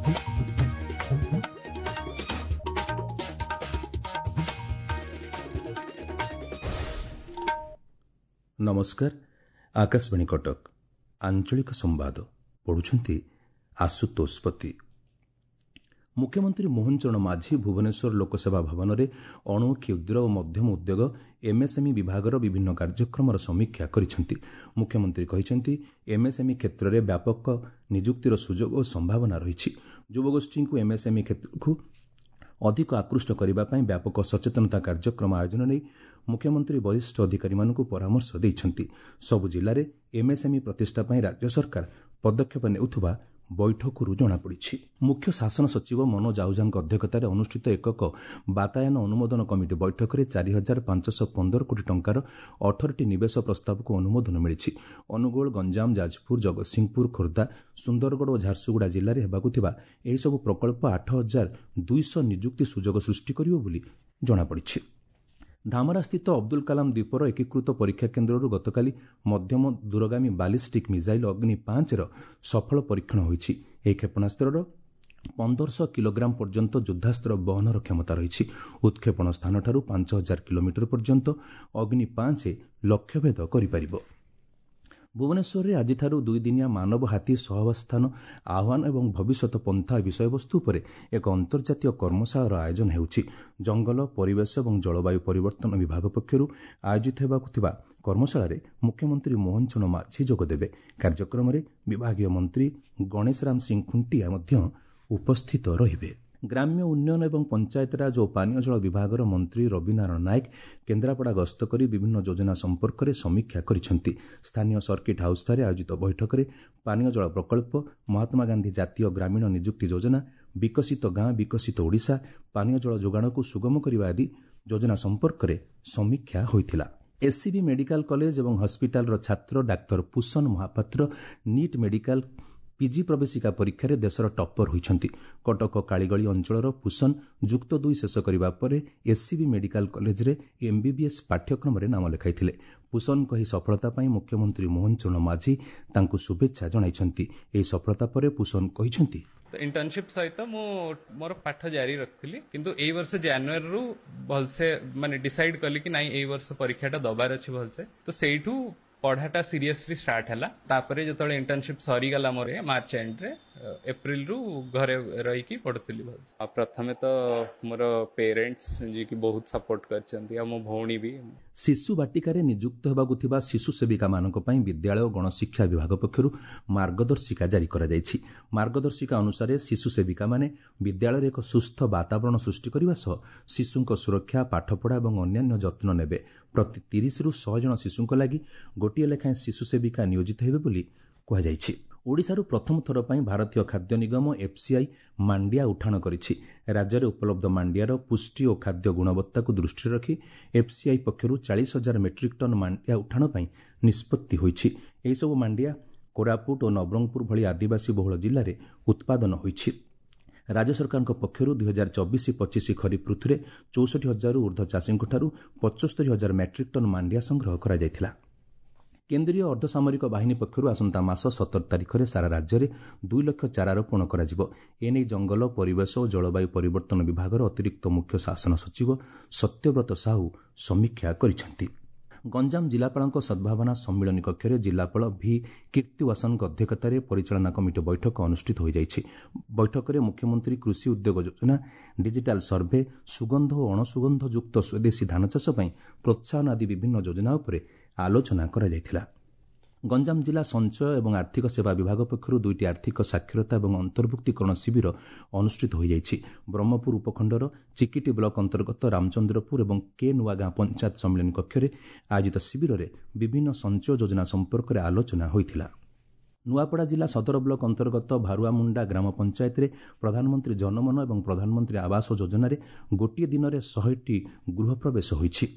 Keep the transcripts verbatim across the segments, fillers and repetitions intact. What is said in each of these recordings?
ନମସ୍କାର, ଆକାଶବାଣୀ କଟକ, ଆଞ୍ଚଳିକ ସମ୍ବାଦ ପଢୁଛନ୍ତି ଆଶୁତୋଷ ପତି। ମୁଖ୍ୟମନ୍ତ୍ରୀ ମୋହନ ଚରଣ ମାଝୀ ଭୁବନେଶ୍ୱର ଲୋକସେବା ଭବନରେ ଅଣୁ, କ୍ଷୁଦ୍ର ଓ ମଧ୍ୟମ ଉଦ୍ୟୋଗ ଏମ୍ଏସ୍ଏମ୍ଇ ବିଭାଗର ବିଭିନ୍ନ କାର୍ଯ୍ୟକ୍ରମର ସମୀକ୍ଷା କରିଛନ୍ତି। ମୁଖ୍ୟମନ୍ତ୍ରୀ କହିଛନ୍ତି, ଏମ୍ଏସ୍ଏମ୍ଇ କ୍ଷେତ୍ରରେ ବ୍ୟାପକ ନିଯୁକ୍ତିର ସୁଯୋଗ ଓ ସମ୍ଭାବନା ରହିଛି। ଯୁବଗୋଷ୍ଠୀଙ୍କୁ ଏମ୍ଏସ୍ଏମ୍ଇ କ୍ଷେତ୍ରକୁ ଅଧିକ ଆକୃଷ୍ଟ କରିବା ପାଇଁ ବ୍ୟାପକ ସଚେତନତା କାର୍ଯ୍ୟକ୍ରମ ଆୟୋଜନ ନେଇ ମୁଖ୍ୟମନ୍ତ୍ରୀ ବରିଷ୍ଠ ଅଧିକାରୀମାନଙ୍କୁ ପରାମର୍ଶ ଦେଇଛନ୍ତି। ସବୁ ଜିଲ୍ଲାରେ ଏମ୍ଏସ୍ଏମ୍ଇ ପ୍ରତିଷ୍ଠା ପାଇଁ ରାଜ୍ୟ ସରକାର ପଦକ୍ଷେପ ନେଉଥିବା ବୈଠକରୁ ଜଣାପଡ଼ିଛି। ମୁଖ୍ୟ ଶାସନ ସଚିବ ମନୋଜ ଆହୁଜାଙ୍କ ଅଧ୍ୟକ୍ଷତାରେ ଅନୁଷ୍ଠିତ ଏକକ ବାତାୟନ ଅନୁମୋଦନ କମିଟି ବୈଠକରେ ଚାରି ହଜାର ପାଞ୍ଚଶହ ପନ୍ଦର କୋଟି ଟଙ୍କାର ଅଠରଟି ନିବେଶ ପ୍ରସ୍ତାବକୁ ଅନୁମୋଦନ ମିଳିଛି। ଅନୁଗୋଳ, ଗଞ୍ଜାମ, ଯାଜପୁର, ଜଗତସିଂହପୁର, ଖୋର୍ଦ୍ଧା, ସୁନ୍ଦରଗଡ଼ ଓ ଝାରସୁଗୁଡ଼ା ଜିଲ୍ଲାରେ ହେବାକୁ ଥିବା ଏହିସବୁ ପ୍ରକଳ୍ପ ଆଠ ହଜାର ଦୁଇଶହ ନିଯୁକ୍ତି ସୁଯୋଗ ସୃଷ୍ଟି କରିବ ବୋଲି ଜଣାପଡ଼ିଛି। ଧାମରାସ୍ଥିତ ଅବଦୁଲ କାଲାମ ଦ୍ୱୀପର ଏକୀକୃତ ପରୀକ୍ଷା କେନ୍ଦ୍ରରୁ ଗତକାଲି ମଧ୍ୟମ ଦୂରଗାମୀ ବାଲିଷ୍ଟିକ୍ ମିସାଇଲ୍ ଅଗ୍ନି ପାଞ୍ଚର ସଫଳ ପରୀକ୍ଷଣ ହୋଇଛି। ଏହି କ୍ଷେପଣାସ୍ତ୍ରର ପନ୍ଦରଶହ କିଲୋଗ୍ରାମ ପର୍ଯ୍ୟନ୍ତ ଯୁଦ୍ଧାସ୍ତ୍ର ବହନର କ୍ଷମତା ରହିଛି। ଉତ୍କ୍ଷେପଣ ସ୍ଥାନଠାରୁ ପାଞ୍ଚ ହଜାର କିଲୋମିଟର ପର୍ଯ୍ୟନ୍ତ ଅଗ୍ନି ପାଞ୍ଚ ଲକ୍ଷ୍ୟଭେଦ କରିପାରିବ। ଭୁବନେଶ୍ୱରରେ ଆଜିଠାରୁ ଦୁଇଦିନିଆ ମାନବ ହାତୀ ସହାବସ୍ଥାନ ଆହ୍ୱାନ ଏବଂ ଭବିଷ୍ୟତ ପନ୍ଥା ବିଷୟବସ୍ତୁ ଉପରେ ଏକ ଅନ୍ତର୍ଜାତୀୟ କର୍ମଶାଳାର ଆୟୋଜନ ହେଉଛି। ଜଙ୍ଗଲ, ପରିବେଶ ଏବଂ ଜଳବାୟୁ ପରିବର୍ତ୍ତନ ବିଭାଗ ପକ୍ଷରୁ ଆୟୋଜିତ ହେବାକୁ ଥିବା କର୍ମଶାଳାରେ ମୁଖ୍ୟମନ୍ତ୍ରୀ ମୋହନ ଚରଣ ମାଝୀ ଯୋଗଦେବେ। କାର୍ଯ୍ୟକ୍ରମରେ ବିଭାଗୀୟ ମନ୍ତ୍ରୀ ଗଣେଶରାମ ସିଂ ଖୁଣ୍ଟିଆ ମଧ୍ୟ ଉପସ୍ଥିତ ରହିବେ। ଗ୍ରାମ୍ୟ ଉନ୍ନୟନ ଏବଂ ପଞ୍ଚାୟତିରାଜ ଓ ପାନୀୟ ଜଳ ବିଭାଗର ମନ୍ତ୍ରୀ ରବିନାରାୟଣ ନାୟକ କେନ୍ଦ୍ରାପଡ଼ା ଗସ୍ତ କରି ବିଭିନ୍ନ ଯୋଜନା ସମ୍ପର୍କରେ ସମୀକ୍ଷା କରିଛନ୍ତି। ସ୍ଥାନୀୟ ସର୍କିଟ୍ ହାଉସ୍ଠାରେ ଆୟୋଜିତ ବୈଠକରେ ପାନୀୟ ଜଳ ପ୍ରକଳ୍ପ, ମହାତ୍ମାଗାନ୍ଧୀ ଜାତୀୟ ଗ୍ରାମୀଣ ନିଯୁକ୍ତି ଯୋଜନା, ବିକଶିତ ଗାଁ ବିକଶିତ ଓଡ଼ିଶା, ପାନୀୟ ଜଳ ଯୋଗାଣକୁ ସୁଗମ କରିବା ଆଦି ଯୋଜନା ସମ୍ପର୍କରେ ସମୀକ୍ଷା ହୋଇଥିଲା। ଏସ୍ସିବି ମେଡିକାଲ କଲେଜ ଏବଂ ହସ୍ପିଟାଲର ଛାତ୍ର ଡାକ୍ତର ପୁଷନ ମହାପାତ୍ର ନିଟ୍ ମେଡିକାଲ ପିଜି ପ୍ରବେଶିକା ପରୀକ୍ଷାରେ ଦେଶର ଟପ୍ପର ହୋଇଛନ୍ତି। କଟକ କାଳିଗଳି ଅଞ୍ଚଳର ପୁଷନ ଯୁକ୍ତ ଦୁଇ ଶେଷ କରିବା ପରେ ଏସ୍ସିବି ମେଡିକାଲ କଲେଜରେ ଏମ୍ବିବିଏସ୍ ପାଠ୍ୟକ୍ରମରେ ନାମ ଲେଖାଇଥିଲେ। ପୁଷନଙ୍କ ଏହି ସଫଳତା ପାଇଁ ମୁଖ୍ୟମନ୍ତ୍ରୀ ମୋହନ ଚରଣ ମାଝୀ ତାଙ୍କୁ ଶୁଭେଚ୍ଛା ଜଣାଇଛନ୍ତି। ଏହି ସଫଳତା ପରେ ପୁଷନ କହିଛନ୍ତି, ଇଣ୍ଟର୍ନସିପ୍ ସହିତ ମୁଁ ମୋର ପାଠ ଜାରି ରଖିଥିଲି, କିନ୍ତୁ ଏଇ ବର୍ଷ ଜାନୁଆରୀରୁ ଭଲସେ ମାନେ ଡିସାଇଡ୍ କଲି କି ନାଇଁ, ଏଇ ବର୍ଷ ପରୀକ୍ଷାଟା ଦବାର ଅଛି ଭଲସେ। ତ ସେଇଠୁ ପଢାଟା ସିରିୟସଲି ଷ୍ଟାର୍ଟ ହେଲା। ତାପରେ ଯେତେବେଳେ ଇଣ୍ଟର୍ନସିପ୍ ସରିଗଲା ମୋର ମାର୍ଚ୍ଚ ଏଣ୍ଡରେ, ଏପ୍ରିଲରୁ ଘରେ ରହିକି ପଢୁଥିଲି ଭଲସେ। ଆଉ ପ୍ରଥମେ ତ ମୋର ପେରେଣ୍ଟସ୍, ଯିଏକି ବହୁତ ସପୋର୍ଟ କରିଛନ୍ତି, ଆଉ ମୋ ଭଉଣୀ ବି। ଶିଶୁ ବାଟିକାରେ ନିଯୁକ୍ତ ହେବାକୁ ଥିବା ଶିଶୁ ସେବିକାମାନଙ୍କ ପାଇଁ ବିଦ୍ୟାଳୟ ଓ ଗଣଶିକ୍ଷା ବିଭାଗ ପକ୍ଷରୁ ମାର୍ଗଦର୍ଶିକା ଜାରି କରାଯାଇଛି। ମାର୍ଗଦର୍ଶିକା ଅନୁସାରେ ଶିଶୁ ସେବିକାମାନେ ବିଦ୍ୟାଳୟରେ ଏକ ସୁସ୍ଥ ବାତାବରଣ ସୃଷ୍ଟି କରିବା ସହ ଶିଶୁଙ୍କ ସୁରକ୍ଷା, ପାଠପଢ଼ା ଏବଂ ଅନ୍ୟାନ୍ୟ ଯତ୍ନ ନେବେ। ପ୍ରତି ତିରିଶରୁ ଶହେ ଜଣ ଶିଶୁଙ୍କ ଲାଗି ଗୋଟିଏ ଲେଖାଏଁ ଶିଶୁ ସେବିକା ନିୟୋଜିତ ହେବେ ବୋଲି କୁହାଯାଇଛି। ଓଡ଼ିଶାରୁ ପ୍ରଥମ ଥର ପାଇଁ ଭାରତୀୟ ଖାଦ୍ୟ ନିଗମ ଏଫ୍ସିଆଇ ମାଣ୍ଡିଆ ଉଠାଣ କରିଛି। ରାଜ୍ୟରେ ଉପଲବ୍ଧ ମାଣ୍ଡିଆର ପୁଷ୍ଟି ଓ ଖାଦ୍ୟ ଗୁଣବତ୍ତାକୁ ଦୃଷ୍ଟିରେ ରଖି ଏଫ୍ସିଆଇ ପକ୍ଷରୁ ଚାଳିଶ ହଜାର ମେଟ୍ରିକ୍ ଟନ୍ ମାଣ୍ଡିଆ ଉଠାଣ ପାଇଁ ନିଷ୍ପତ୍ତି ହୋଇଛି। ଏହିସବୁ ମାଣ୍ଡିଆ କୋରାପୁଟ ଓ ନବରଙ୍ଗପୁର ଭଳି ଆଦିବାସୀ ବହୁଳ ଜିଲ୍ଲାରେ ଉତ୍ପାଦନ ହୋଇଛି। ରାଜ୍ୟ ସରକାରଙ୍କ ପକ୍ଷରୁ ଦୁଇ ହଜାର ଚବିଶ ପଚିଶ ଖରିଫ ଋତୁରେ ଚଉଷଠି ହଜାରରୁ ଉର୍ଦ୍ଧ୍ୱ ଚାଷୀଙ୍କଠାରୁ ପଞ୍ଚସ୍ତରୀ ହଜାର ମେଟ୍ରିକ୍ ଟନ୍ ମାଣ୍ଡିଆ ସଂଗ୍ରହ କରାଯାଇଥିଲା। କେନ୍ଦ୍ରୀୟ ଅର୍ଦ୍ଧସାମରିକ ବାହିନୀ ପକ୍ଷରୁ ଆସନ୍ତା ମାସ ସତର ତାରିଖରେ ସାରା ରାଜ୍ୟରେ ଦୁଇ ଲକ୍ଷ ଚାରା ରୋପଣ କରାଯିବ। ଏନେଇ ଜଙ୍ଗଲ, ପରିବେଶ ଓ ଜଳବାୟୁ ପରିବର୍ତ୍ତନ ବିଭାଗର ଅତିରିକ୍ତ ମୁଖ୍ୟ ଶାସନ ସଚିବ ସତ୍ୟବ୍ରତ ସାହୁ ସମୀକ୍ଷା କରିଛନ୍ତି। ଗଞ୍ଜାମ ଜିଲ୍ଲାପାଳଙ୍କ ସଦ୍ଭାବନା ସମ୍ମିଳନୀ କକ୍ଷରେ ଜିଲ୍ଲାପାଳ ଭି କୀର୍ତ୍ତିୱାସନଙ୍କ ଅଧ୍ୟକ୍ଷତାରେ ପରିଚାଳନା କମିଟି ବୈଠକ ଅନୁଷ୍ଠିତ ହୋଇଯାଇଛି। ବୈଠକରେ ମୁଖ୍ୟମନ୍ତ୍ରୀ କୃଷି ଉଦ୍ୟୋଗ ଯୋଜନା, ଡିଜିଟାଲ ସର୍ଭେ, ସୁଗନ୍ଧ ଓ ଅଣସୁଗନ୍ଧଯୁକ୍ତ ସ୍ୱଦେଶୀ ଧାନ ଚାଷ ପାଇଁ ପ୍ରୋତ୍ସାହନ ଆଦି ବିଭିନ୍ନ ଯୋଜନା ଉପରେ ଆଲୋଚନା କରାଯାଇଥିଲା। ଗଞ୍ଜାମ ଜିଲ୍ଲା ସଞ୍ଚୟ ଏବଂ ଆର୍ଥିକ ସେବା ବିଭାଗ ପକ୍ଷରୁ ଦୁଇଟି ଆର୍ଥିକ ସାକ୍ଷରତା ଏବଂ ଅନ୍ତର୍ଭୁକ୍ତୀକରଣ ଶିବିର ଅନୁଷ୍ଠିତ ହୋଇଯାଇଛି। ବ୍ରହ୍ମପୁର ଉପଖଣ୍ଡର ଚିକିଟି ବ୍ଲକ ଅନ୍ତର୍ଗତ ରାମଚନ୍ଦ୍ରପୁର ଏବଂ କେ ନୂଆଗାଁ ପଞ୍ଚାୟତ ସମ୍ମିଳନୀ କକ୍ଷରେ ଆୟୋଜିତ ଶିବିରରେ ବିଭିନ୍ନ ସଞ୍ଚୟ ଯୋଜନା ସମ୍ପର୍କରେ ଆଲୋଚନା ହୋଇଥିଲା। ନୂଆପଡ଼ା ଜିଲ୍ଲା ସଦର ବ୍ଲକ ଅନ୍ତର୍ଗତ ଭାରୁଆମୁଣ୍ଡା ଗ୍ରାମ ପଞ୍ଚାୟତରେ ପ୍ରଧାନମନ୍ତ୍ରୀ ଜନମନ ଏବଂ ପ୍ରଧାନମନ୍ତ୍ରୀ ଆବାସ ଯୋଜନାରେ ଗୋଟିଏ ଦିନରେ ଶହେଟି ଗୃହ ପ୍ରବେଶ ହୋଇଛି।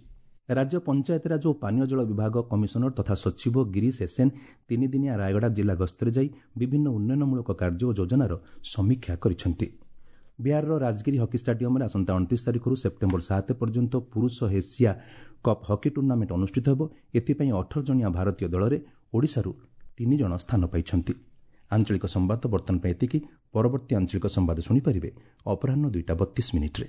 ରାଜ୍ୟ ପଞ୍ଚାୟତିରାଜ ଓ ପାନୀୟ ଜଳ ବିଭାଗ କମିଶନର ତଥା ସଚିବ ଗିରିଶ ଏସ୍ଏନ୍ ତିନିଦିନିଆ ରାୟଗଡ଼ା ଜିଲ୍ଲା ଗସ୍ତରେ ଯାଇ ବିଭିନ୍ନ ଉନ୍ନୟନମୂଳକ କାର୍ଯ୍ୟ ଓ ଯୋଜନାର ସମୀକ୍ଷା କରିଛନ୍ତି। ବିହାରର ରାଜଗିରି ହକି ଷ୍ଟାଡିୟମରେ ଆସନ୍ତା ଅଣତିରିଶ ତାରିଖରୁ ସେପ୍ଟେମ୍ବର ସାତ ପର୍ଯ୍ୟନ୍ତ ପୁରୁଷ ଏସିଆ କପ୍ ହକି ଟୁର୍ଣ୍ଣାମେଣ୍ଟ ଅନୁଷ୍ଠିତ ହେବ। ଏଥିପାଇଁ ଅଠର ଜଣିଆ ଭାରତୀୟ ଦଳରେ ଓଡ଼ିଶାରୁ ତିନି ଜଣ ସ୍ଥାନ ପାଇଛନ୍ତି। ଆଞ୍ଚଳିକ ସମ୍ବାଦ ବର୍ତ୍ତମାନ ପାଇଁ ଏତିକି। ପରବର୍ତ୍ତୀ ଆଞ୍ଚଳିକ ସମ୍ବାଦ ଶୁଣିପାରିବେ ଅପରାହ୍ନ ଦୁଇଟା ବତିଶ ମିନିଟ୍ରେ।